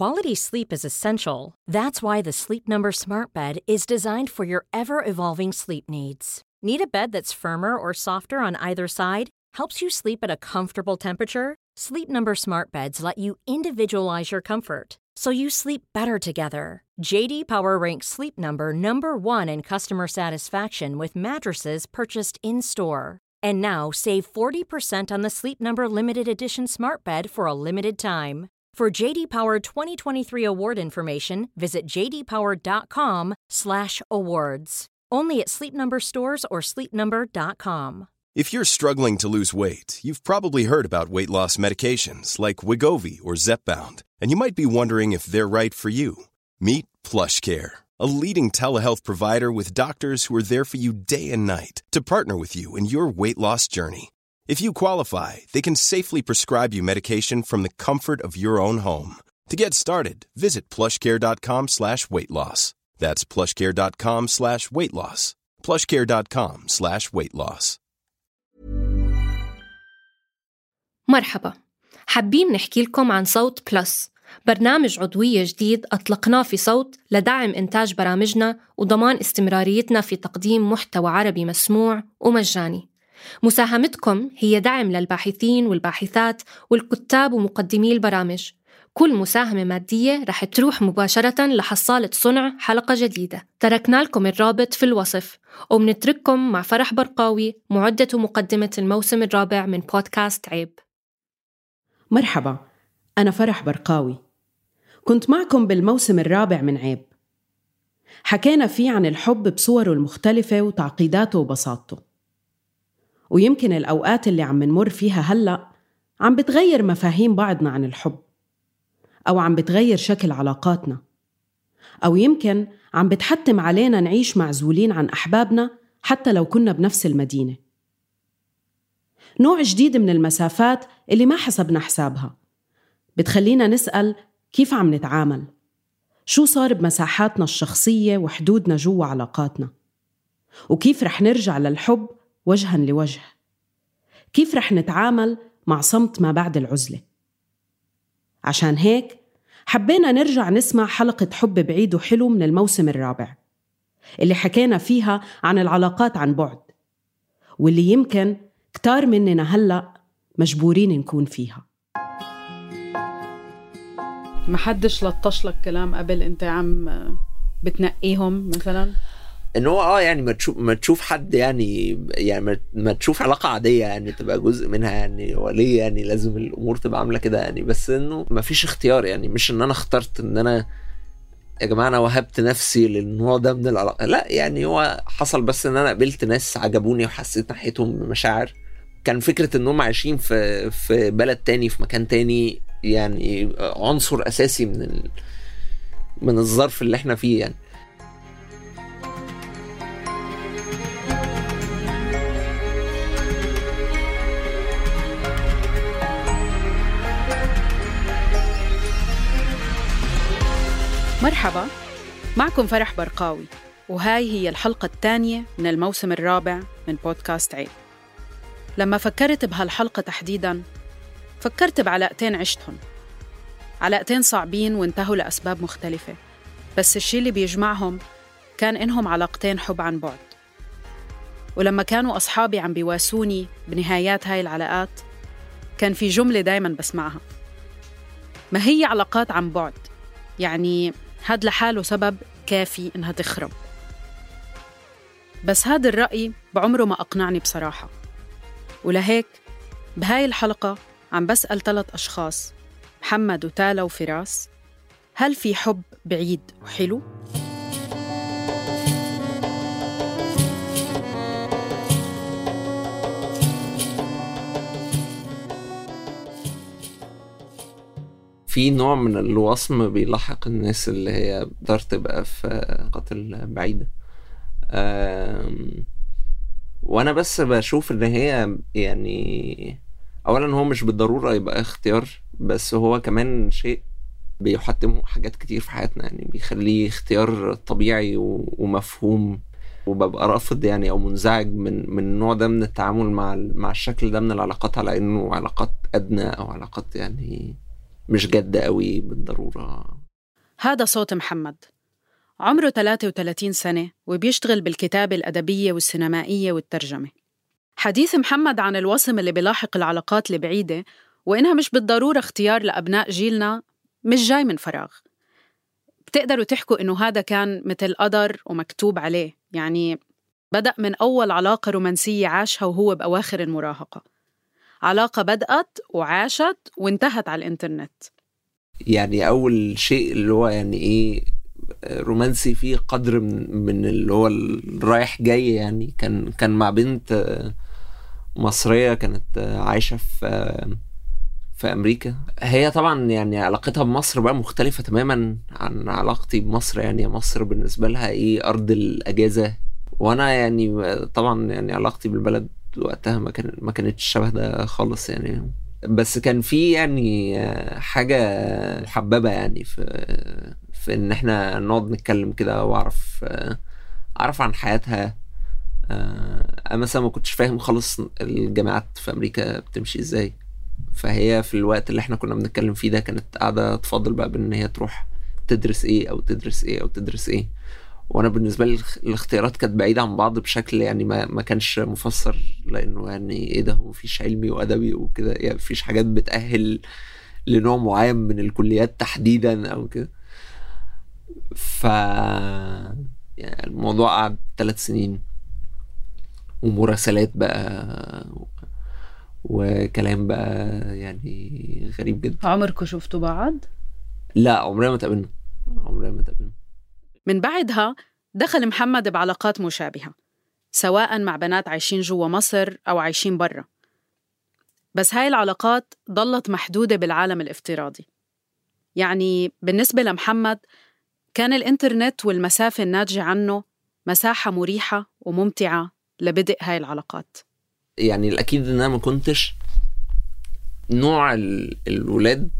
Quality sleep is essential. That's why the Sleep Number Smart Bed is designed for your ever-evolving sleep needs. Need a bed that's firmer or softer on either side? Helps you sleep at a comfortable temperature? Sleep Number Smart Beds let you individualize your comfort, so you sleep better together. J.D. Power ranks Sleep Number #1 in customer satisfaction with mattresses purchased in-store. And now save 40% on the Sleep Number Limited Edition Smart Bed for a limited time. For J.D. Power 2023 award information, visit jdpower.com/awards. Only at Sleep Number stores or sleepnumber.com. If you're struggling to lose weight, you've probably heard about weight loss medications like Wegovy or Zepbound, and you might be wondering if they're right for you. Meet PlushCare, a leading telehealth provider with doctors who are there for you day and night to partner with you in your weight loss journey. If you qualify, they can safely prescribe you medication from the comfort of your own home. To get started, visit plushcare.com/weightloss. That's plushcare.com/weightloss. plushcare.com/weightloss. مرحبا، حابين نحكي لكم عن صوت بلس، برنامج عضوية جديد أطلقناه في صوت لدعم إنتاج برامجنا وضمان استمراريتنا في تقديم محتوى عربي مسموع ومجاني. مساهمتكم هي دعم للباحثين والباحثات والكتاب ومقدمي البرامج. كل مساهمة مادية رح تروح مباشرة لحصالة صنع حلقة جديدة. تركنا لكم الرابط في الوصف، ومنترككم مع فرح برقاوي، معدة ومقدمة الموسم الرابع من بودكاست عيب. مرحبا، أنا فرح برقاوي، كنت معكم بالموسم الرابع من عيب. حكينا فيه عن الحب بصوره المختلفة وتعقيداته وبساطته، ويمكن الأوقات اللي عم نمر فيها هلأ عم بتغير مفاهيم بعضنا عن الحب، أو عم بتغير شكل علاقاتنا، أو يمكن عم بتحتم علينا نعيش معزولين عن أحبابنا حتى لو كنا بنفس المدينة. نوع جديد من المسافات اللي ما حسبنا حسابها بتخلينا نسأل كيف عم نتعامل، شو صار بمساحاتنا الشخصية وحدودنا جوا علاقاتنا، وكيف رح نرجع للحب وجها لوجه، كيف رح نتعامل مع صمت ما بعد العزلة. عشان هيك حبينا نرجع نسمع حلقة حب بعيد وحلو من الموسم الرابع اللي حكينا فيها عن العلاقات عن بعد، واللي يمكن كتار مننا هلأ مجبورين نكون فيها. ما حدش لطش لك كلام قبل انت عم بتنقيهم مثلا؟ انه هو يعني ما تشوف حد يعني ما تشوف علاقة عادية يعني تبقى جزء منها يعني، وليه يعني لازم الامور تبقى عاملة كده يعني؟ بس انه ما فيش اختيار يعني، مش ان انا اخترت ان انا يا جماعة انا وهبت نفسي للنوع ده من العلاقة، لا يعني هو حصل بس ان انا قابلت ناس عجبوني وحسيت ناحيتهم بمشاعر. كان فكرة انهم عايشين في بلد تاني في مكان تاني يعني عنصر اساسي من الظرف اللي احنا فيه يعني. مرحبا، معكم فرح برقاوي، وهاي هي الحلقة الثانية من الموسم الرابع من بودكاست عيب. لما فكرت بهالحلقة تحديداً فكرت بعلاقتين عشتهم، علاقتين صعبين وانتهوا لأسباب مختلفة، بس الشي اللي بيجمعهم كان إنهم علاقتين حب عن بعد. ولما كانوا أصحابي عم بيواسوني بنهايات هاي العلاقات كان في جملة دايماً بسمعها: ما هي علاقات عن بعد، يعني هاد لحاله سبب كافي إنها تخرب. بس هاد الرأي بعمره ما أقنعني بصراحة، ولهيك بهاي الحلقة عم بسأل 3 أشخاص، محمد وتالا وفراس، هل في حب بعيد وحلو؟ في نوع من الوصم بيلاحق الناس اللي هي بتقدر تبقى في قتل بعيدة، وانا بس بشوف ان هي يعني اولا هو مش بالضرورة يبقى اختيار، بس هو كمان شيء بيحتمه حاجات كتير في حياتنا يعني، بيخليه اختيار طبيعي ومفهوم، وببقى رافض يعني او منزعج من النوع ده من التعامل مع الشكل ده من العلاقات على انه علاقات ادنى او علاقات يعني مش جد قوي بالضرورة. هذا صوت محمد، عمره 33 سنة وبيشتغل بالكتابة الأدبية والسينمائية والترجمة. حديث محمد عن الوصم اللي بيلاحق العلاقات البعيدة وإنها مش بالضرورة اختيار لأبناء جيلنا مش جاي من فراغ. بتقدروا تحكوا إنه هذا كان مثل قدر ومكتوب عليه، يعني بدأ من أول علاقة رومانسية عاشها وهو بأواخر المراهقة، علاقة بدأت وعاشت وانتهت على الإنترنت. يعني أول شيء اللي هو يعني إيه رومانسي فيه قدر من اللي هو الرايح جاي، يعني كان مع بنت مصرية كانت عايشة في أمريكا. هي طبعا يعني علاقتها بمصر بقى مختلفة تماما عن علاقتي بمصر، يعني مصر بالنسبة لها إيه أرض الأجازة، وأنا يعني طبعا يعني علاقتي بالبلد وقتها ما كانتش شبه ده خالص يعني. بس كان في يعني حاجة محببة يعني في إن إحنا نقعد نتكلم كده وأعرف عن حياتها. أنا مثلا ما كنتش فاهم خالص الجامعات في أمريكا بتمشي إزاي، فهي في الوقت اللي إحنا كنا بنتكلم فيه ده كانت قاعدة تفضل بقى بأن هي تروح تدرس إيه أو تدرس إيه أو تدرس إيه، وأنا بالنسبة لي الاختيارات كانت بعيدة عن بعض بشكل يعني ما كانش مفسر، لأنه يعني إيه ده، مفيش علمي وأدبي وكده، يعني مفيش حاجات بتأهل لنوع معين من الكليات تحديدا أو كده. يعني الموضوع قعد 3 سنين ومراسلات بقى وكلام بقى يعني غريب جدا. عمركم شفتوا بعض؟ لا، عمرنا ما تقابلنا. من بعدها دخل محمد بعلاقات مشابهة، سواء مع بنات عايشين جوا مصر أو عايشين برا، بس هاي العلاقات ضلت محدودة بالعالم الافتراضي. يعني بالنسبة لمحمد كان الإنترنت والمسافة الناتجة عنه مساحة مريحة وممتعة لبدء هاي العلاقات. يعني الأكيد إن أنا ما كنتش نوع الولاد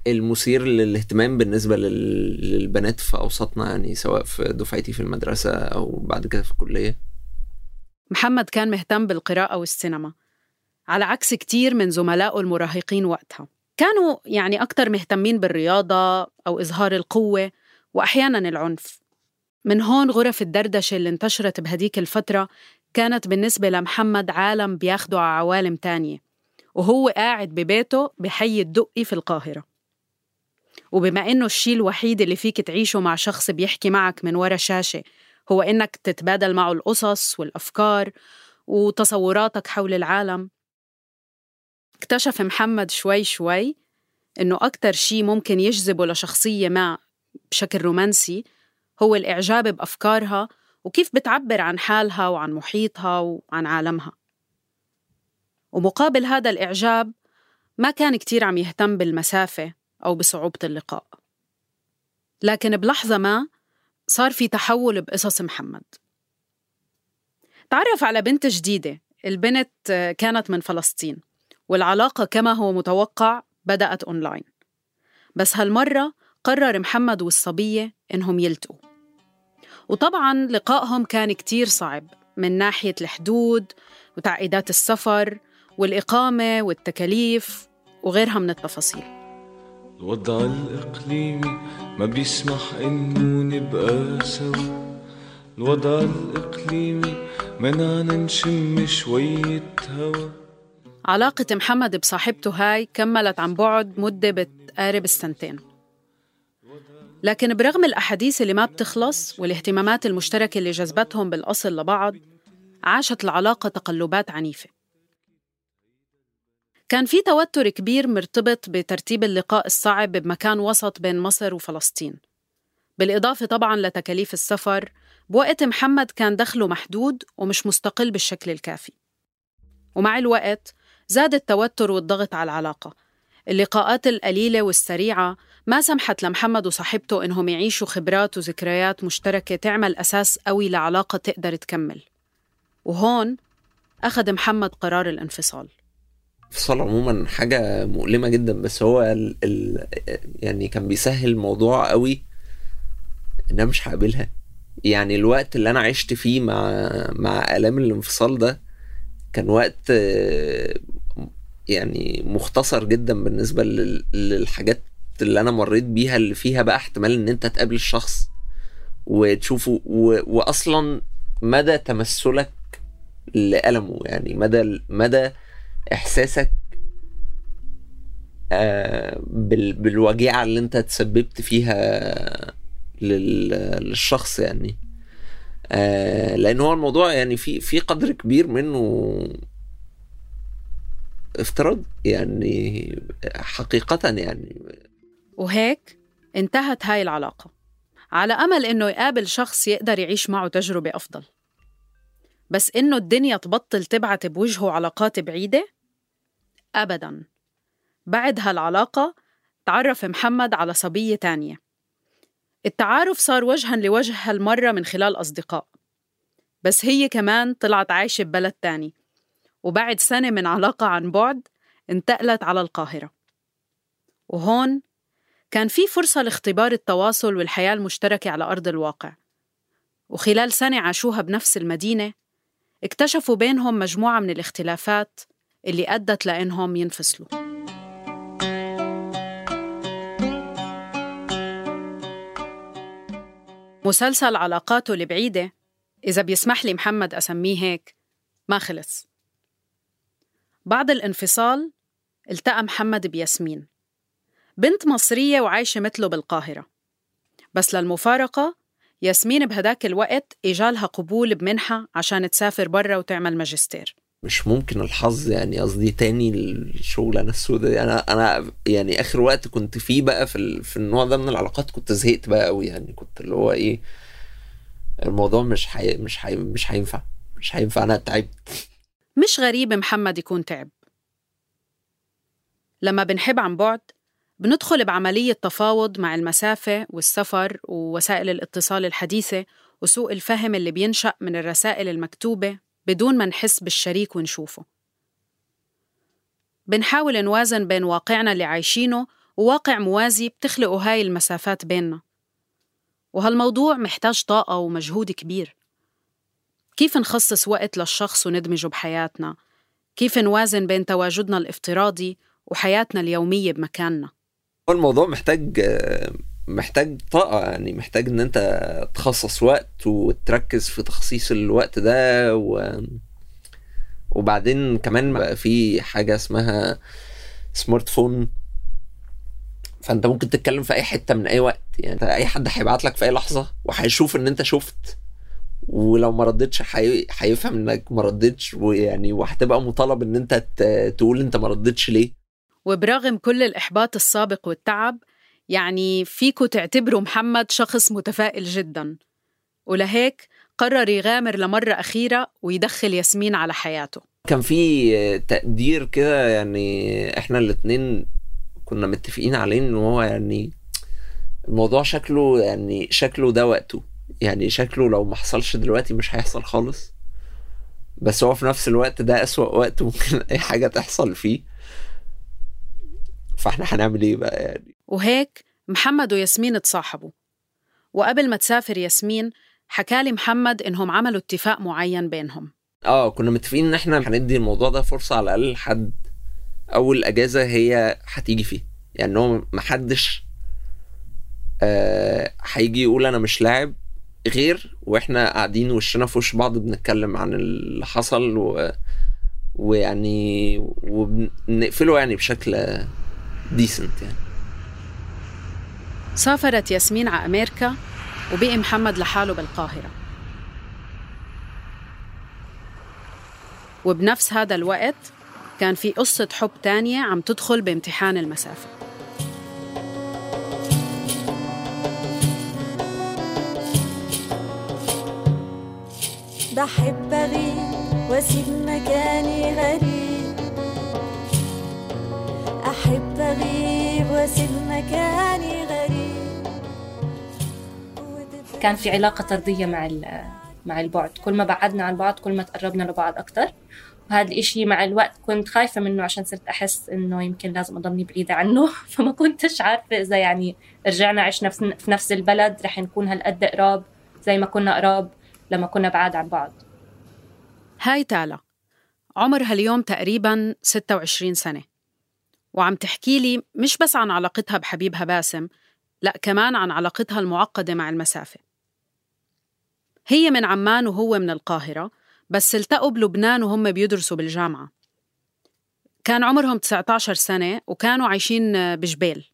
المثير للاهتمام بالنسبة للبنات في أوسطنا، يعني سواء في دفعتي في المدرسة أو بعد كده في الكلية. محمد كان مهتم بالقراءة والسينما، على عكس كتير من زملائه المراهقين وقتها، كانوا يعني أكتر مهتمين بالرياضة أو إظهار القوة وأحياناً العنف. من هون غرف الدردشة اللي انتشرت بهديك الفترة كانت بالنسبة لمحمد عالم بياخده على عوالم تانية، وهو قاعد ببيته بحي الدقي في القاهرة. وبما إنه الشيء الوحيد اللي فيك تعيشه مع شخص بيحكي معك من ورا شاشة هو إنك تتبادل معه القصص والأفكار وتصوراتك حول العالم، اكتشف محمد شوي شوي إنه أكتر شيء ممكن يجذبه لشخصية ما بشكل رومانسي هو الإعجاب بأفكارها وكيف بتعبر عن حالها وعن محيطها وعن عالمها. ومقابل هذا الإعجاب ما كان كتير عم يهتم بالمسافة أو بصعوبة اللقاء. لكن بلحظة ما صار في تحول بقصص محمد. تعرف على بنت جديدة، البنت كانت من فلسطين، والعلاقة كما هو متوقع بدأت أونلاين. بس هالمرة قرر محمد والصبية إنهم يلتقوا، وطبعاً لقائهم كان كتير صعب من ناحية الحدود وتعقيدات السفر والإقامة والتكاليف وغيرها من التفاصيل. الوضع الإقليمي ما بيسمح إنه نبقى سوا، الوضع الإقليمي منعنا نشم شوية هوا. علاقة محمد بصاحبته هاي كملت عن بعد مدة بتقارب 2 سنين، لكن برغم الأحاديث اللي ما بتخلص والاهتمامات المشتركة اللي جذبتهم بالأصل لبعض، عاشت العلاقة تقلبات عنيفة. كان في توتر كبير مرتبط بترتيب اللقاء الصعب بمكان وسط بين مصر وفلسطين، بالإضافة طبعاً لتكاليف السفر بوقت محمد كان دخله محدود ومش مستقل بالشكل الكافي. ومع الوقت زاد التوتر والضغط على العلاقة. اللقاءات القليلة والسريعة ما سمحت لمحمد وصاحبته إنهم يعيشوا خبرات وذكريات مشتركة تعمل أساس قوي لعلاقة تقدر تكمل. وهون أخذ محمد قرار الانفصال. الانفصال عموما حاجة مؤلمة جدا، بس هو يعني كان بيسهل الموضوع قوي إن أنا مش هقابلها. يعني الوقت اللي أنا عشت فيه مع آلام الانفصال ده كان وقت يعني مختصر جدا بالنسبة للحاجات اللي أنا مريت بيها، اللي فيها بقى احتمال إن أنت تقابل الشخص وتشوفه وأصلا مدى تمثلك لألمه، يعني مدى إحساسك بالوجيعة اللي أنت تسببت فيها للشخص يعني. لأن هو الموضوع يعني في قدر كبير منه افتراض يعني حقيقة يعني. وهيك انتهت هاي العلاقة على أمل إنه يقابل شخص يقدر يعيش معه تجربة أفضل. بس إنه الدنيا تبطل تبعت بوجهه علاقات بعيدة؟ أبداً. بعد هالعلاقة تعرف محمد على صبية تانية. التعارف صار وجهاً لوجه هالمرة من خلال أصدقاء، بس هي كمان طلعت عايشة ببلد تاني، وبعد سنة من علاقة عن بعد انتقلت على القاهرة. وهون كان في فرصة لاختبار التواصل والحياة المشتركة على أرض الواقع. وخلال سنة عاشوها بنفس المدينة اكتشفوا بينهم مجموعة من الاختلافات اللي أدت لأنهم ينفصلوا. مسلسل علاقاته البعيدة، إذا بيسمح لي محمد أسميه هيك، ما خلص. بعد الانفصال التقى محمد بياسمين، بنت مصرية وعايشة مثله بالقاهرة. بس للمفارقة ياسمين بهداك الوقت إجالها قبول بمنحة عشان تسافر برا وتعمل ماجستير. مش ممكن الحظ يعني، قصدي تاني الشغلانة السوداء دي. أنا يعني آخر وقت كنت فيه بقى في النوع ده من العلاقات كنت زهقت بقى قوي يعني. كنت اللي هو إيه، الموضوع مش هينفع. أنا تعبت. مش غريب محمد يكون تعب. لما بنحب عن بعد بندخل بعملية تفاوض مع المسافة والسفر ووسائل الاتصال الحديثة وسوء الفهم اللي بينشأ من الرسائل المكتوبة بدون ما نحس بالشريك ونشوفه. بنحاول نوازن بين واقعنا اللي عايشينه وواقع موازي بتخلقه هاي المسافات بيننا، وهالموضوع محتاج طاقة ومجهود كبير. كيف نخصص وقت للشخص وندمجه بحياتنا؟ كيف نوازن بين تواجدنا الافتراضي وحياتنا اليومية بمكاننا؟ الموضوع محتاج طاقة يعني، محتاج ان انت تخصص وقت وتركز في تخصيص الوقت ده وبعدين كمان بقى في حاجة اسمها سمارت فون، فانت ممكن تتكلم في اي حتة من اي وقت يعني. اي حد هيبعت لك في اي لحظة وهيشوف ان انت شفت، ولو ما ردتش هيفهم انك ما ردتش، ويعني وهتبقى مطالب ان انت تقول انت ما ردتش ليه. وبرغم كل الإحباط السابق والتعب، يعني فيكو تعتبروا محمد شخص متفائل جداً، ولهيك قرر يغامر لمرة أخيرة ويدخل ياسمين على حياته. كان في تقدير كده يعني، احنا الاتنين كنا متفقين عليه ان هو يعني الموضوع شكله ده وقته يعني، شكله لو ما حصلش دلوقتي مش هيحصل خالص، بس هو في نفس الوقت ده أسوأ وقت ممكن اي حاجة تحصل فيه، فاحنا هنعمل ايه بقى يعني. وهيك محمد وياسمين تصاحبوا، وقبل ما تسافر ياسمين حكالي محمد إنهم عملوا اتفاق معين بينهم. كنا متفقين ان احنا هندي الموضوع ده فرصة على الأقل لحد أول أجازة هي هتيجي فيه، يعني هو محدش هيجي يقول أنا مش لاعب غير واحنا قاعدين وشنا في وش بعض بنتكلم عن اللي حصل ويعني وبنقفله يعني بشكل ديسنت يعني. سافرت ياسمين على أمريكا وبقي محمد لحاله بالقاهرة. وبنفس هذا الوقت كان في قصة حب تانية عم تدخل بامتحان المسافة. بحب أغيب وأسيب مكاني غريب، أحب أغيب وأسيب مكاني غريب. كان في علاقة طردية مع البعد، كل ما بعدنا عن بعض كل ما تقربنا لبعض أكتر، وهذا الإشي مع الوقت كنت خايفة منه عشان صرت أحس إنه يمكن لازم أضلني بعيدة عنه، فما كنتش عارفة إذا يعني رجعنا عشنا في نفس البلد رح نكون هالقد قراب زي ما كنا قراب لما كنا بعاد عن بعض. هاي تالا عمرها اليوم تقريباً 26 سنة، وعم تحكي لي مش بس عن علاقتها بحبيبها باسم، لأ كمان عن علاقتها المعقدة مع المسافة. هي من عمان وهو من القاهرة، بس التقوا بلبنان وهم بيدرسوا بالجامعة. كان عمرهم 19 سنة وكانوا عايشين بجبيل،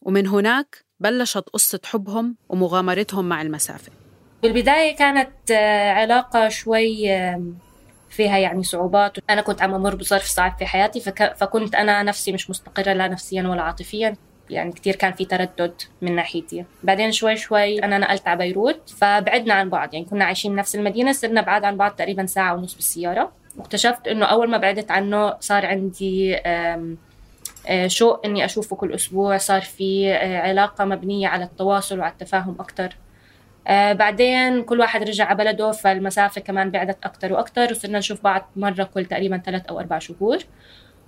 ومن هناك بلشت قصة حبهم ومغامرتهم مع المسافة. بالبداية كانت علاقة شوي فيها يعني صعوبات. أنا كنت عم أمر بظرف صعب في حياتي، فكنت أنا نفسي مش مستقرة لا نفسيا ولا عاطفيا، يعني كتير كان في تردد من ناحيتي. بعدين شوي أنا نقلت على بيروت، فبعدنا عن بعض، يعني كنا عايشين نفس المدينة، صرنا بعاد عن بعض تقريبا 1.5 ساعة بالسيارة. واكتشفت إنه أول ما بعدت عنه صار عندي شوق إني أشوفه كل أسبوع، صار في علاقة مبنية على التواصل وعلى التفاهم أكتر. بعدين كل واحد رجع على بلده، فالمسافة كمان بعدت أكتر وأكتر، وصرنا نشوف بعض مرة كل تقريبا 3 أو 4 شهور.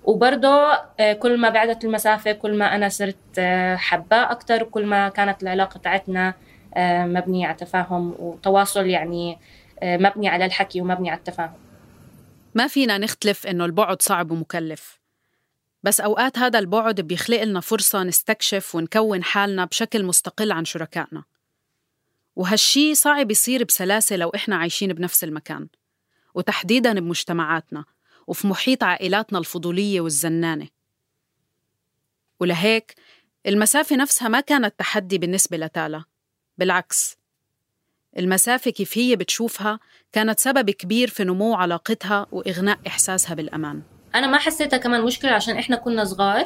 وبرضه كل ما بعدت المسافة كل ما أنا صرت حباه أكتر، وكل ما كانت العلاقة تاعتنا مبنية على تفاهم وتواصل، يعني مبني على الحكي ومبني على التفاهم. ما فينا نختلف إنه البعد صعب ومكلف، بس أوقات هذا البعد بيخلق لنا فرصة نستكشف ونكون حالنا بشكل مستقل عن شركائنا، وهالشي صعب يصير بسلاسة لو إحنا عايشين بنفس المكان، وتحديداً بمجتمعاتنا وفي محيط عائلاتنا الفضولية والزنانة. ولهيك المسافة نفسها ما كانت تحدي بالنسبة لتالا، بالعكس، المسافة كيف هي بتشوفها كانت سبب كبير في نمو علاقتها وإغناء إحساسها بالأمان. أنا ما حسيتها كمان مشكلة عشان إحنا كنا صغار،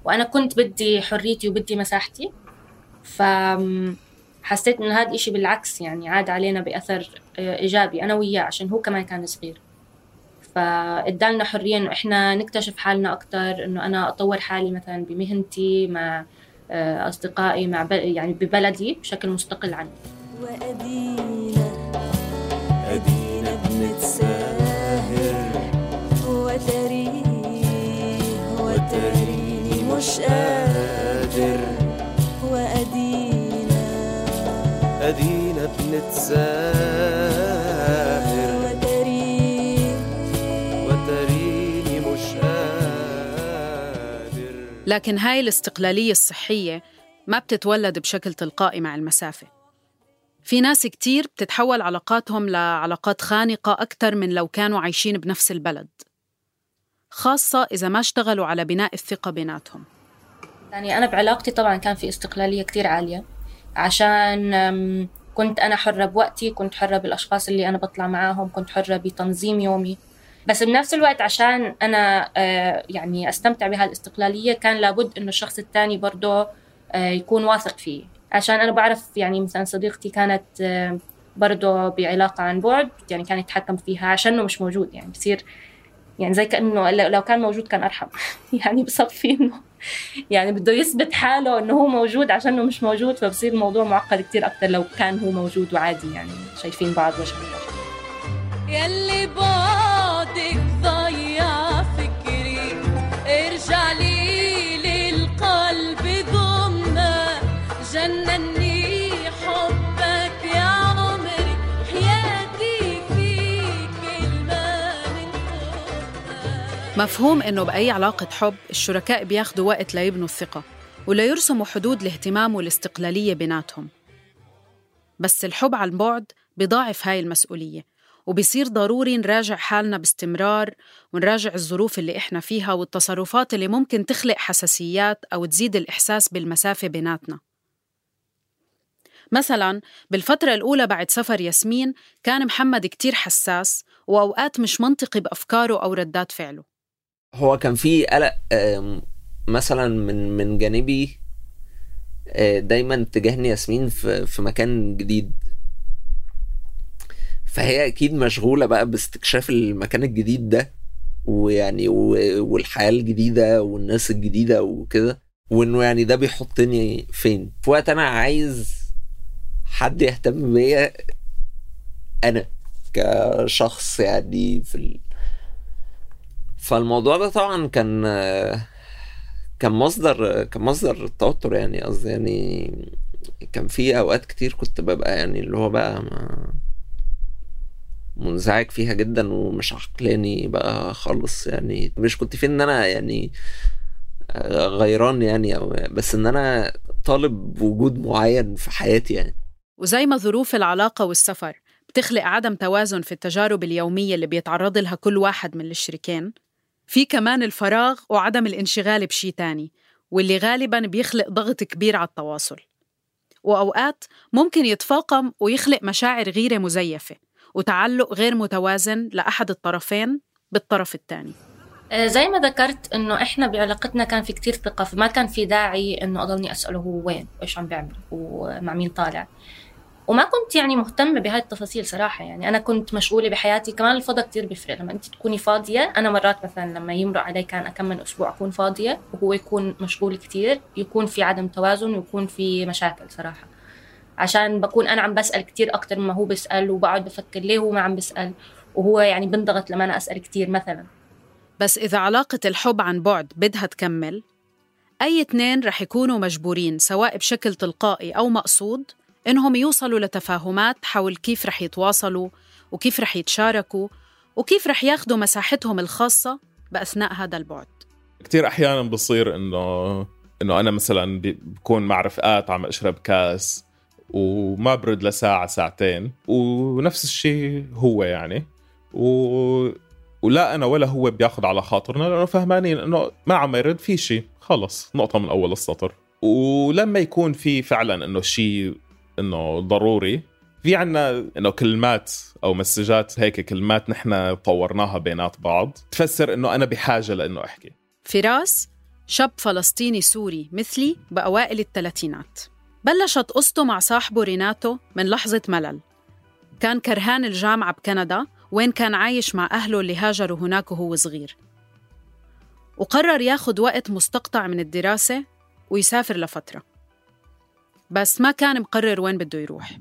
وأنا كنت بدي حريتي وبدي مساحتي، فحسيت إن هذا إشي بالعكس يعني عاد علينا بأثر إيجابي أنا وياه، عشان هو كمان كان صغير، فإدالنا حرية إنه إحنا نكتشف حالنا أكتر، إنه أنا أطور حالي مثلا بمهنتي مع أصدقائي مع يعني ببلدي بشكل مستقل عني. أدينا بنتساهر وتريني مش قادر، أدينا بنتساهر وتريني مش قادر. لكن هاي الاستقلالية الصحية ما بتتولد بشكل تلقائي مع المسافة. في ناس كتير بتتحول علاقاتهم لعلاقات خانقة أكتر من لو كانوا عايشين بنفس البلد، خاصة إذا ما اشتغلوا على بناء الثقة بيناتهم. يعني أنا بعلاقتي طبعاً كان في استقلالية كتير عالية، عشان كنت أنا حرة بوقتي، كنت حرة بالأشخاص اللي أنا بطلع معاهم، كنت حرة بتنظيم يومي. بس بنفس الوقت عشان أنا يعني أستمتع بهالاستقلالية كان لابد إنه الشخص التاني برضه يكون واثق فيه، عشان أنا بعرف يعني مثلا صديقتي كانت برضه بعلاقة عن بعد، يعني كان يتحكم فيها عشانه مش موجود، يعني بصير يعني زي كأنه لو كان موجود كان أرحم يعني بصفي إنه يعني بده يثبت حاله إنه هو موجود عشانه مش موجود، فبصير الموضوع معقد كتير أكتر لو كان هو موجود وعادي يعني شايفين بعض وجه لوجه. يلي بعدك ضيع فكري، ارجع لي للقلب ضمنا، جنني حبك يا عمري، حياتي فيك كلمة من قلبنا. مفهوم إنه بأي علاقة حب الشركاء بياخدوا وقت ليبنوا الثقة وليرسموا حدود الاهتمام والاستقلالية بيناتهم، بس الحب عن بعد بيضاعف هاي المسؤولية، وبيصير ضروري نراجع حالنا باستمرار ونراجع الظروف اللي إحنا فيها والتصرفات اللي ممكن تخلق حساسيات أو تزيد الإحساس بالمسافة بيناتنا. مثلاً بالفترة الأولى بعد سفر ياسمين كان محمد كتير حساس وأوقات مش منطقي بأفكاره أو ردات فعله. هو كان في قلق مثلا من جانبي دايما تجاهني ياسمين في مكان جديد، فهي اكيد مشغولة بقى باستكشاف المكان الجديد ده، ويعني والحياة الجديدة والناس الجديدة وكده، وانه يعني ده بيحطني فين في وقت انا عايز حد يهتم بيا انا كشخص يعني فالموضوع ده طبعا كان مصدر توتر، يعني قصدي يعني كان في اوقات كتير كنت ببقى يعني اللي هو بقى منزعج فيها جدا ومش عقلاني بقى خالص. يعني مش كنت فين ان انا يعني غيران يعني، بس ان انا طالب وجود معين في حياتي يعني. وزي ما ظروف العلاقة والسفر بتخلق عدم توازن في التجارب اليومية اللي بيتعرض لها كل واحد من الشريكين، في كمان الفراغ وعدم الانشغال بشي تاني، واللي غالباً بيخلق ضغط كبير على التواصل، وأوقات ممكن يتفاقم ويخلق مشاعر غيرة مزيفة وتعلق غير متوازن لأحد الطرفين بالطرف الثاني. زي ما ذكرت إنه إحنا بعلاقتنا كان في كتير ثقة، فما كان في داعي إنه أضلني أسأله هو وين وإيش عم بيعمل ومع مين طالع، وما كنت يعني مهتمة بهاي التفاصيل صراحة. يعني أنا كنت مشغولة بحياتي. كمان الفضا كتير بيفرق لما أنت تكوني فاضية. أنا مرات مثلا لما يمرق علي كان أكمل أسبوع أكون فاضية وهو يكون مشغول كتير، يكون في عدم توازن ويكون في مشاكل صراحة، عشان بكون أنا عم بسأل كتير أكتر مما هو بسأل، وبقعد بفكر ليه هو ما عم بسأل، وهو يعني بنضغط لما أنا أسأل كتير مثلا. بس إذا علاقة الحب عن بعد بدها تكمل، أي اتنين رح يكونوا مجبورين سواء بشكل تلقائي أو مقصود إنهم يوصلوا لتفاهمات حول كيف رح يتواصلوا وكيف رح يتشاركوا وكيف رح ياخدوا مساحتهم الخاصة بأثناء هذا البعد. كتير أحياناً بصير إنه أنا مثلاً بكون مع رفقات عم أشرب كاس وما برد لساعة ساعتين، ونفس الشيء هو يعني ولا أنا ولا هو بياخد على خاطرنا، لأنه فهمانين إنه ما عم يرد في شيء، خلص نقطة من أول السطر. ولما يكون في فعلاً إنه شيء إنه ضروري، في عنا إنه كلمات أو مسجات هيك، كلمات نحن طورناها بينات بعض تفسر إنه أنا بحاجة لإنه أحكي. فراس شاب فلسطيني سوري مثلي بأوائل الثلاثينات، بلشت قصته مع صاحبه ريناتو من لحظة ملل. كان كرهان الجامعة بكندا وين كان عايش مع أهله اللي هاجروا هناك وهو صغير، وقرر ياخد وقت مستقطع من الدراسة ويسافر لفترة، بس ما كان مقرر وين بده يروح.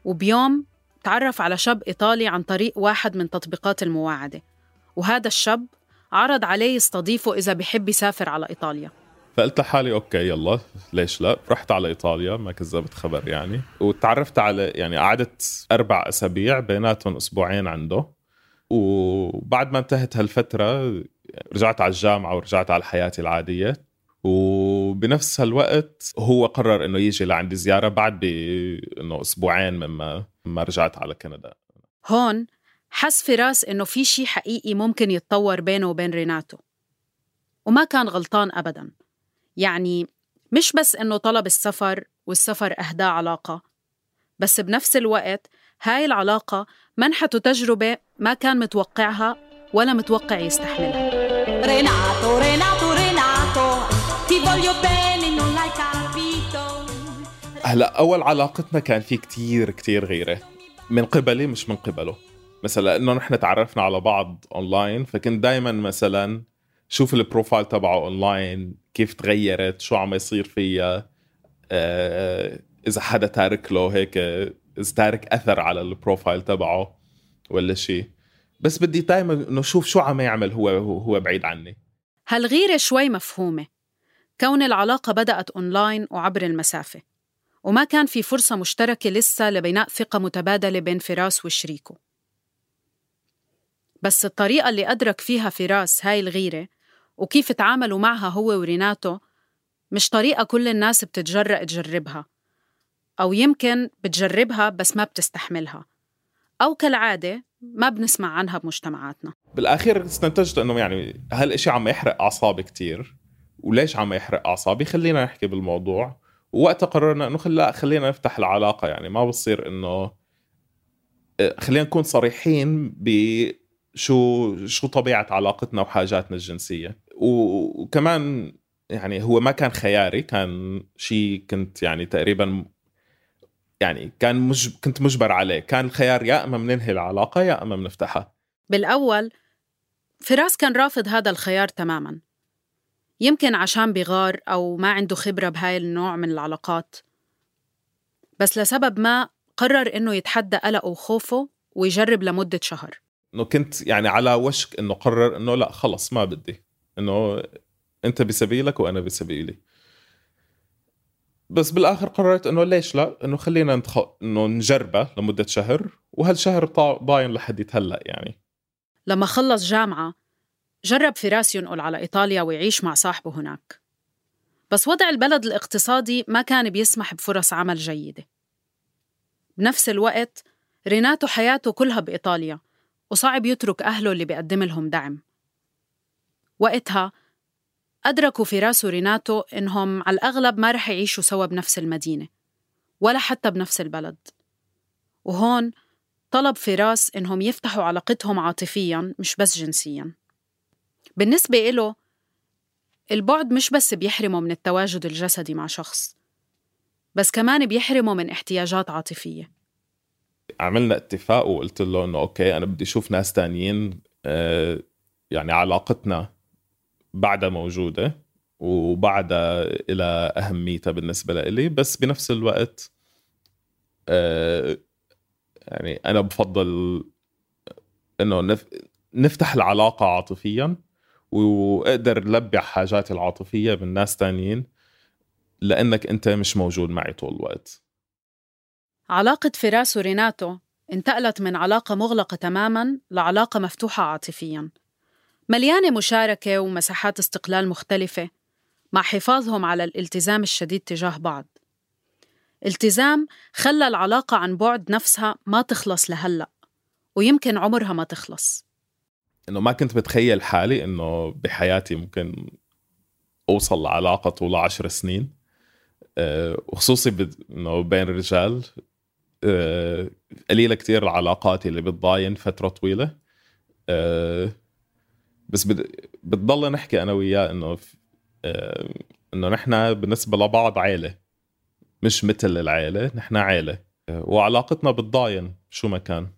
وبيوم تعرف على شاب إيطالي عن طريق واحد من تطبيقات المواعدة، وهذا الشاب عرض عليه يستضيفه إذا بيحب يسافر على إيطاليا. فقلت لحالي أوكي يلا ليش لا. رحت على إيطاليا، ما كذبت خبر يعني، وتعرفت على يعني قعدت 4 أسابيع بيناتهم أسبوعين عنده. وبعد ما انتهت هالفترة رجعت على الجامعة ورجعت على حياتي العادية. وبنفس هالوقت هو قرر إنه يجي لعندي زيارة بعد إنه أسبوعين مما رجعت على كندا. هون حس فراس إنه في شيء حقيقي ممكن يتطور بينه وبين ريناتو، وما كان غلطان أبداً. يعني مش بس إنه طلب السفر والسفر أهداه علاقة، بس بنفس الوقت هاي العلاقة منحته تجربة ما كان متوقعها ولا متوقع يستحملها. ريناتو ريناتو ريناتو ti voglio bene non l'hai capito. هلا أول علاقتنا كان في كتير غيرة من قبلي مش من قبله. مثلا إنه نحن تعرفنا على بعض أونلاين، فكنت دايما مثلا شوف البروفايل تبعه أونلاين كيف تغيرت، شو عم يصير فيها، إذا حدا تارك له هيك، إذا تارك أثر على البروفايل تبعه ولا شيء. بس بدي دايما إنه شوف شو عم يعمل هو بعيد عني. هالغيرة شوي مفهومة، كون العلاقة بدأت أونلاين وعبر المسافة، وما كان في فرصة مشتركة لسه لبناء ثقة متبادلة بين فراس وشريكه. بس الطريقة اللي أدرك فيها فراس هاي الغيرة وكيف تعاملوا معها هو وريناتو مش طريقة كل الناس بتتجرأ تجربها، أو يمكن بتجربها بس ما بتستحملها، أو كالعادة ما بنسمع عنها بمجتمعاتنا. بالآخير استنتجت أنه يعني هالإشي عم يحرق أعصابي كتير، وليش عم يحرق أعصابي خلينا نحكي بالموضوع. ووقت قررنا أنه خلينا نفتح العلاقة، يعني ما بصير أنه خلينا نكون صريحين بشو طبيعة علاقتنا وحاجاتنا الجنسية. وكمان يعني هو ما كان خياري، كان شيء كنت يعني تقريبا يعني كنت مجبر عليه. كان الخيار يا أما مننهي العلاقة يا أما منفتحها. بالأول فراس كان رافض هذا الخيار تماماً، يمكن عشان بغار أو ما عنده خبرة بهاي النوع من العلاقات، بس لسبب ما قرر إنه يتحدى قلقه وخوفه ويجرب لمدة شهر. إنه كنت يعني على وشك إنه قرر إنه لا خلص ما بدي، إنه أنت بسبيلك وأنا بسبيلي. بس بالآخر قررت إنه ليش لا، إنه خلينا إنه نجربه لمدة شهر، وهالشهر ضاين لحد يتهلأ يعني. لما خلص جامعة جرب فراس ينقل على إيطاليا ويعيش مع صاحبه هناك، بس وضع البلد الاقتصادي ما كان بيسمح بفرص عمل جيدة. بنفس الوقت ريناتو حياته كلها بإيطاليا، وصعب يترك أهله اللي بيقدم لهم دعم. وقتها أدركوا فراس وريناتو إنهم على الأغلب ما رح يعيشوا سوا بنفس المدينة ولا حتى بنفس البلد، وهون طلب فراس إنهم يفتحوا علاقتهم عاطفياً مش بس جنسياً. بالنسبة إله البعد مش بس بيحرمه من التواجد الجسدي مع شخص، بس كمان بيحرمه من احتياجات عاطفية. عملنا اتفاق وقلت له إنه أوكي أنا بدي أشوف ناس تانيين، يعني علاقتنا بعدها موجودة وبعدها إلى أهميتها بالنسبة لي، بس بنفس الوقت يعني أنا بفضل إنه نفتح العلاقة عاطفياً وأقدر لبع حاجاتي العاطفية من ناس تانيين، لأنك أنت مش موجود معي طول الوقت. علاقة فراس وريناتو انتقلت من علاقة مغلقة تماماً لعلاقة مفتوحة عاطفياً، مليانة مشاركة ومساحات استقلال مختلفة، مع حفاظهم على الالتزام الشديد تجاه بعض. التزام خلى العلاقة عن بعد نفسها ما تخلص لهلأ، ويمكن عمرها ما تخلص. إنه ما كنت بتخيل حالي إنه بحياتي ممكن أوصل لعلاقة طول 10 سنين، وخصوصي إنه بين الرجال. قليلة كتير العلاقات اللي بتضاين فترة طويلة، بس بتضل نحكي أنا وياه إنه نحنا بالنسبة لبعض عائلة، مش مثل العائلة، نحنا عائلة، وعلاقتنا بتضاين شو ما كان.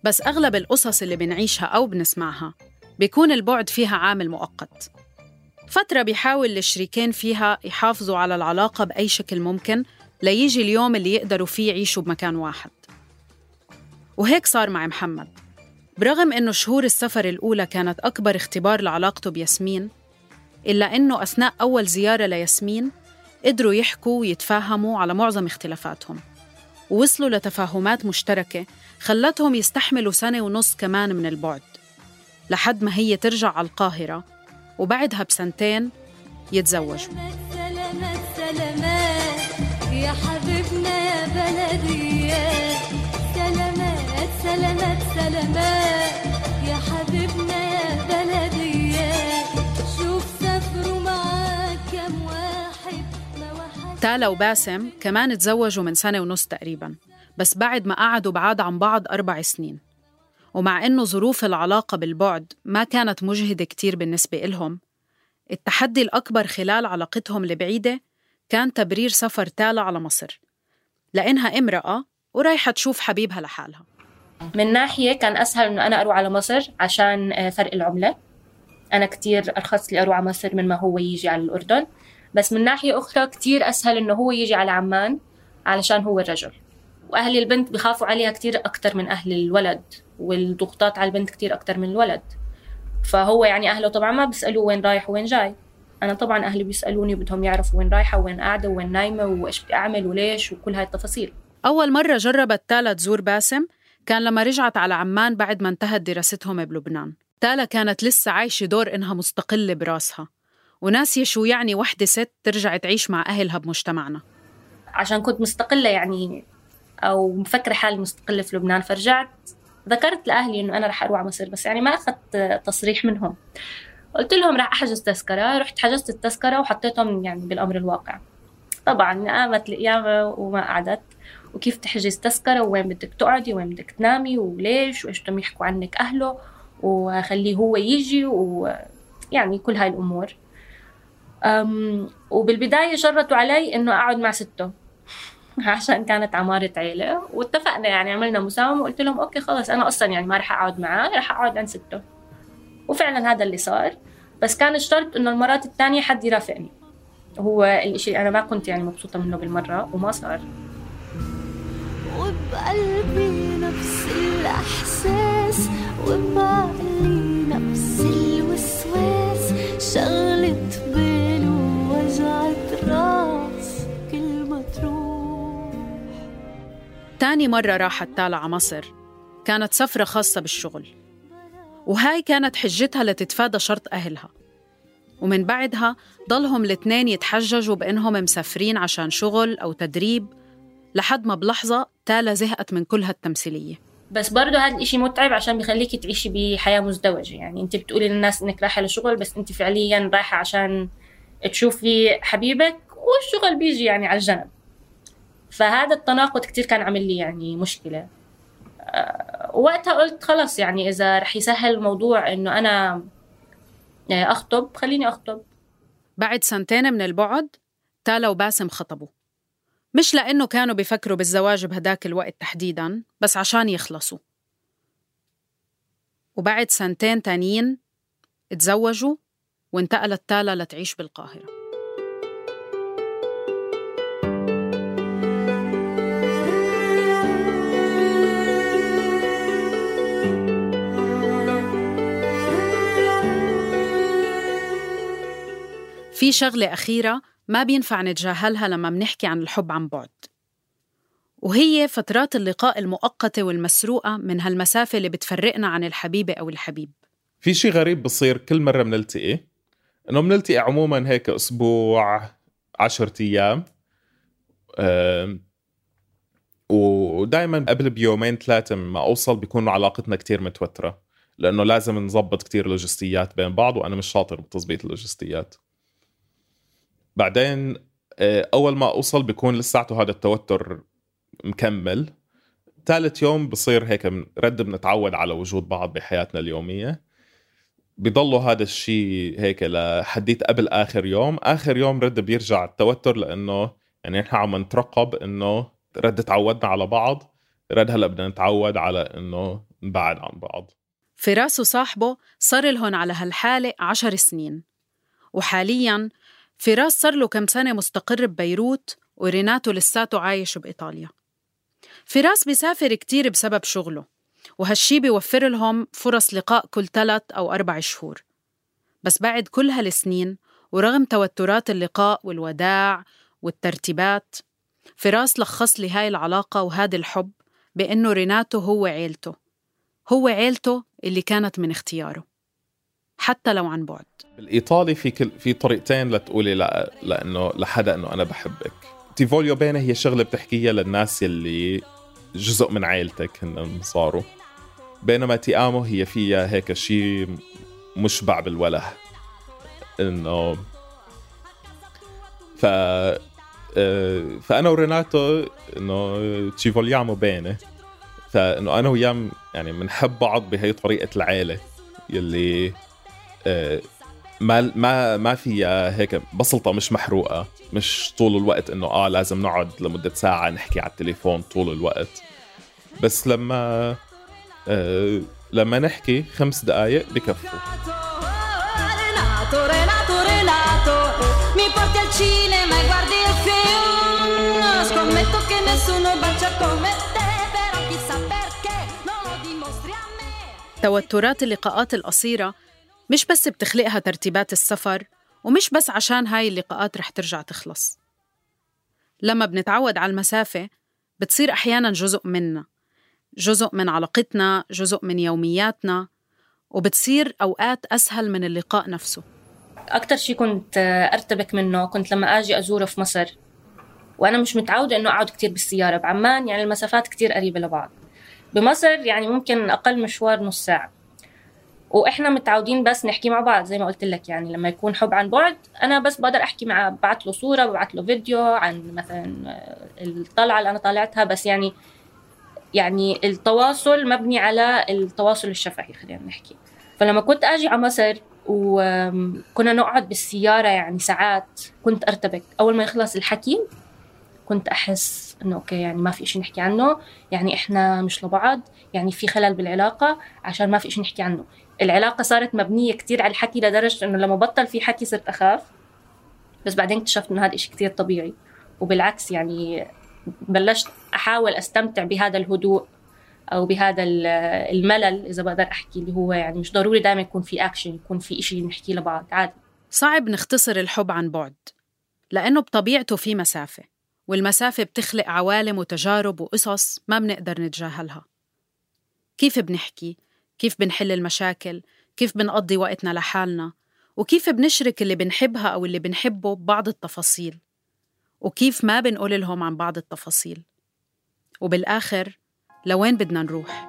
بس أغلب القصص اللي بنعيشها أو بنسمعها بيكون البعد فيها عامل مؤقت، فترة بيحاول الشريكين فيها يحافظوا على العلاقة بأي شكل ممكن ليجي اليوم اللي يقدروا فيه يعيشوا بمكان واحد. وهيك صار مع محمد. برغم إنه شهور السفر الأولى كانت أكبر اختبار لعلاقته بياسمين، إلا إنه أثناء أول زيارة لياسمين قدروا يحكوا ويتفاهموا على معظم اختلافاتهم، ووصلوا لتفاهمات مشتركة خلتهم يستحملوا 1.5 سنة كمان من البعد، لحد ما هي ترجع على القاهرة، وبعدها ب2 يتزوجوا. سلامات سلامات يا حبيبنا يا بلدي، سلامات سلامات سلامات يا حبيبنا يا بلدي، شوف سافروا معاك كم واحد ما واحد. تالا وباسم كمان تزوجوا من 1.5 سنة تقريباً، بس بعد ما قعدوا بعاد عن بعض 4 سنين. ومع إنه ظروف العلاقة بالبعد ما كانت مجهدة كتير بالنسبة إلهم، التحدي الأكبر خلال علاقتهم البعيدة كان تبرير سفر تالا على مصر، لأنها امرأة ورايحة تشوف حبيبها لحالها. من ناحية كان أسهل إنه أنا أروح على مصر عشان فرق العملة، أنا كتير أرخص لي أروح على مصر من ما هو يجي على الأردن. بس من ناحية أخرى كتير أسهل إنه هو يجي على عمان علشان هو الرجل، وأهل البنت بيخافوا عليها كتير أكتر من أهل الولد، والضغوطات على البنت كتير أكتر من الولد. فهو يعني أهله طبعا ما بيسألوا وين رايح وين جاي، أنا طبعا أهلي بيسألوني وبدهم يعرفوا وين رايحة وين قاعدة وين نايمة وإيش بدي أعمل وليش وكل هاي التفاصيل. أول مرة جربت تالا تزور باسم كان لما رجعت على عمان بعد ما انتهت دراستهم بلبنان. تالا كانت لسه عايشة دور إنها مستقلة براسها، وناسية شو يعني وحدة ست ترجع تعيش مع أهلها بمجتمعنا. عشان كنت مستقلة يعني أو مفكرة حالي مستقلة في لبنان، فرجعت ذكرت لأهلي إنه أنا رح أروح على مصر، بس يعني ما أخذت تصريح منهم. قلت لهم رح أحجز تذكرة، رحت حجزت التذكرة وحطيتهم يعني بالأمر الواقع. طبعا قامت القيامة وما قعدت، وكيف تحجز تذكرة وين بدك تقعدي وين بدك تنامي وليش وإيش بدهم يحكوا عنك أهله وخليه هو يجي ويعني كل هاي الأمور. وبالبداية جرتوا علي إنه أقعد مع سته عشان كانت عمارة عيلة، واتفقنا يعني عملنا مساومة وقلت لهم أوكي خلاص أنا أصلا يعني ما رح أقعد معاه، رح أقعد عند سته. وفعلا هذا اللي صار، بس كان الشرط إنه المرات الثانية حد يرافقني. هو الإشي أنا ما كنت يعني مبسوطة منه بالمرة وما صار. وبقلبي نفس الإحساس وبعقلي بالي نفس الوسواس شغلة بال ووجعة راس كل ما تروح. تاني مرة راحت تالا على مصر كانت سفرة خاصة بالشغل، وهاي كانت حجتها لتتفادى شرط أهلها. ومن بعدها ضلهم الاثنين يتحججوا بأنهم مسافرين عشان شغل أو تدريب، لحد ما بلحظة تالا زهقت من كل هالتمثيلية. بس برضو هذا الإشي متعب عشان بيخليكي تعيشي بحياة مزدوجة. يعني أنت بتقولي للناس إنك رايحة لشغل، بس أنت فعلياً رايحة عشان تشوفي حبيبك والشغل بيجي يعني على الجنب. فهذا التناقض كتير كان عامل لي يعني مشكلة. وقتها قلت خلاص، يعني إذا رح يسهل الموضوع إنه أنا أخطب خليني أخطب. بعد 2 من البعد تالا وباسم خطبوا، مش لأنه كانوا بيفكروا بالزواج بهداك الوقت تحديداً، بس عشان يخلصوا. وبعد 2 تانيين اتزوجوا وانتقلت تالا لتعيش بالقاهرة. في شغلة أخيرة ما بينفع نتجاهلها لما منحكي عن الحب عن بعد، وهي فترات اللقاء المؤقتة والمسروقة من هالمسافة اللي بتفرقنا عن الحبيبة أو الحبيب. في شيء غريب بصير كل مرة منلتقي، إنه منلتقي عموماً هيك أسبوع 10 أيام، ودايماً قبل بيومين 3 ما أوصل بيكون علاقتنا كتير متوترة، لأنه لازم نضبط كتير لوجستيات بين بعض، وأنا مش شاطر بتضبيط اللوجستيات. بعدين أول ما أوصل بيكون لساته هذا التوتر مكمل. 3 يوم بصير هيك رد بنتعود على وجود بعض بحياتنا اليومية. بيضلوا هذا الشيء هيك لحديت قبل آخر يوم رد بيرجع التوتر، لأنه يعني نحن عم نترقب إنه رد تعودنا على بعض، رد هلأ بدنا نتعود على إنه نبعد عن بعض. فراس وصاحبه صار لهم على هالحالة 10 سنين، وحالياً فراس صار له كم سنة مستقر ببيروت، وريناتو لساته عايش بإيطاليا. فراس بيسافر كتير بسبب شغله، وهالشي بيوفر لهم فرص لقاء كل 3 أو 4 شهور. بس بعد كل هالسنين ورغم توترات اللقاء والوداع والترتيبات، فراس لخص لي هاي العلاقة وهذا الحب بأنه ريناتو هو عيلته اللي كانت من اختياره حتى لو عن بعد. بالإيطالي في طريقتين لتقولي لأنه لحدا إنه أنا بحبك. تي فوليو بينه هي شغلة بتحكيها للناس اللي جزء من عائلتك هن صاروا، بينما تي آمو هي فيها هيك شيء مشبع بالوله، إنه فأنا وريناتو إنه تي فوليامو بينه، فإنه أنا وياه يعني منحب بعض بهي طريقة العائلة يلي ما فيها هيك بسلطة، مش محروقة، مش طول الوقت إنه لازم نقعد لمدة ساعة نحكي على التليفون طول الوقت. بس لما نحكي 5 دقايق بكفوا. توترات اللقاءات القصيرة مش بس بتخلقها ترتيبات السفر، ومش بس عشان هاي اللقاءات رح ترجع تخلص. لما بنتعود على المسافة بتصير أحياناً جزء منا، جزء من علاقتنا، جزء من يومياتنا، وبتصير أوقات أسهل من اللقاء نفسه. أكتر شي كنت أرتبك منه كنت لما أجي أزوره في مصر، وأنا مش متعودة إنه أقعد كتير بالسيارة. بعمان يعني المسافات كتير قريبة لبعض، بمصر يعني ممكن أقل مشوار نص ساعة، وإحنا متعودين بس نحكي مع بعض. زي ما قلت لك يعني لما يكون حب عن بعد أنا بس بقدر أحكي معه، بعت له صورة، بعت له فيديو عن مثلا الطلعة اللي أنا طالعتها، بس يعني التواصل مبني على التواصل الشفهي خلينا نحكي. فلما كنت أجي على مصر وكنا نقعد بالسيارة يعني ساعات، كنت أرتبك. أول ما يخلص الحكي كنت أحس إنه أوكي يعني ما في إشي نحكي عنه، يعني إحنا مش لبعض، يعني في خلل بالعلاقة عشان ما في إشي نحكي عنه. العلاقة صارت مبنية كتير على الحكي لدرجة إنه لما بطل في حكي صرت أخاف. بس بعدين اكتشفت إنه هذا إشي كتير طبيعي، وبالعكس يعني بلشت أحاول أستمتع بهذا الهدوء أو بهذا الملل إذا بقدر أحكي، اللي هو يعني مش ضروري دائما يكون في أكشن، يكون في إشي نحكي لبعض عادي. صعب نختصر الحب عن بعد لأنه بطبيعته في مسافة، والمسافة بتخلق عوالم وتجارب وقصص ما بنقدر نتجاهلها. كيف بنحكي؟ كيف بنحل المشاكل؟ كيف بنقضي وقتنا لحالنا؟ وكيف بنشرك اللي بنحبها أو اللي بنحبه ببعض التفاصيل؟ وكيف ما بنقول لهم عن بعض التفاصيل؟ وبالآخر لوين بدنا نروح؟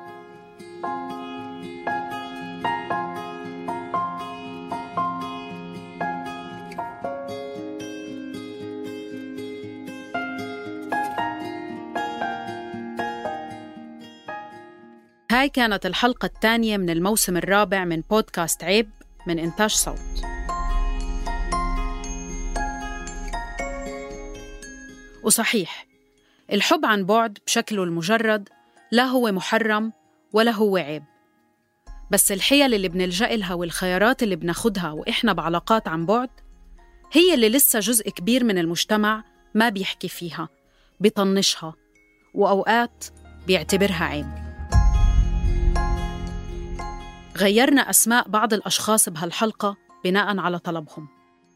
هاي كانت الحلقة الثانية من الموسم الرابع من بودكاست عيب من إنتاج صوت. وصحيح الحب عن بعد بشكله المجرد لا هو محرم ولا هو عيب، بس الحيل اللي بنلجأ لها والخيارات اللي بناخدها وإحنا بعلاقات عن بعد هي اللي لسه جزء كبير من المجتمع ما بيحكي فيها، بيطنشها، وأوقات بيعتبرها عيب. غيرنا أسماء بعض الأشخاص بهالحلقة بناءً على طلبهم.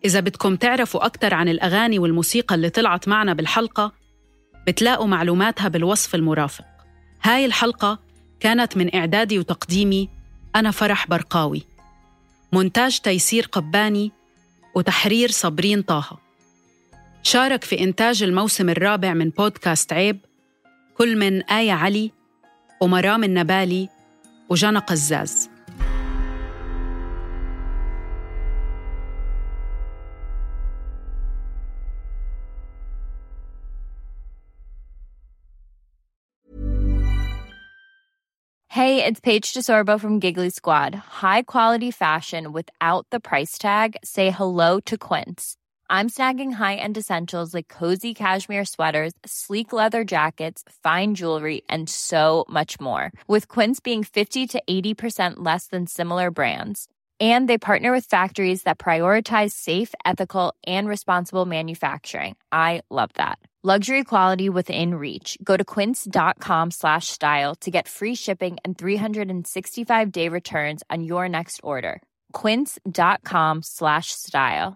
إذا بدكم تعرفوا أكتر عن الأغاني والموسيقى اللي طلعت معنا بالحلقة بتلاقوا معلوماتها بالوصف المرافق. هاي الحلقة كانت من إعدادي وتقديمي أنا فرح برقاوي، مونتاج تيسير قباني، وتحرير صابرين طه. شارك في إنتاج الموسم الرابع من بودكاست عيب كل من آية علي ومرام النبالي وجانا قزاز. Hey, it's Paige DeSorbo from Giggly Squad. High quality fashion without the price tag. Say hello to Quince. I'm snagging high-end essentials like cozy cashmere sweaters, sleek leather jackets, fine jewelry, and so much more. With Quince being 50 to 80% less than similar brands. And they partner with factories that prioritize safe, ethical, and responsible manufacturing. I love that. Luxury quality within reach. Go to quince.com/style to get free shipping and 365-day returns on your next order. Quince.com/style.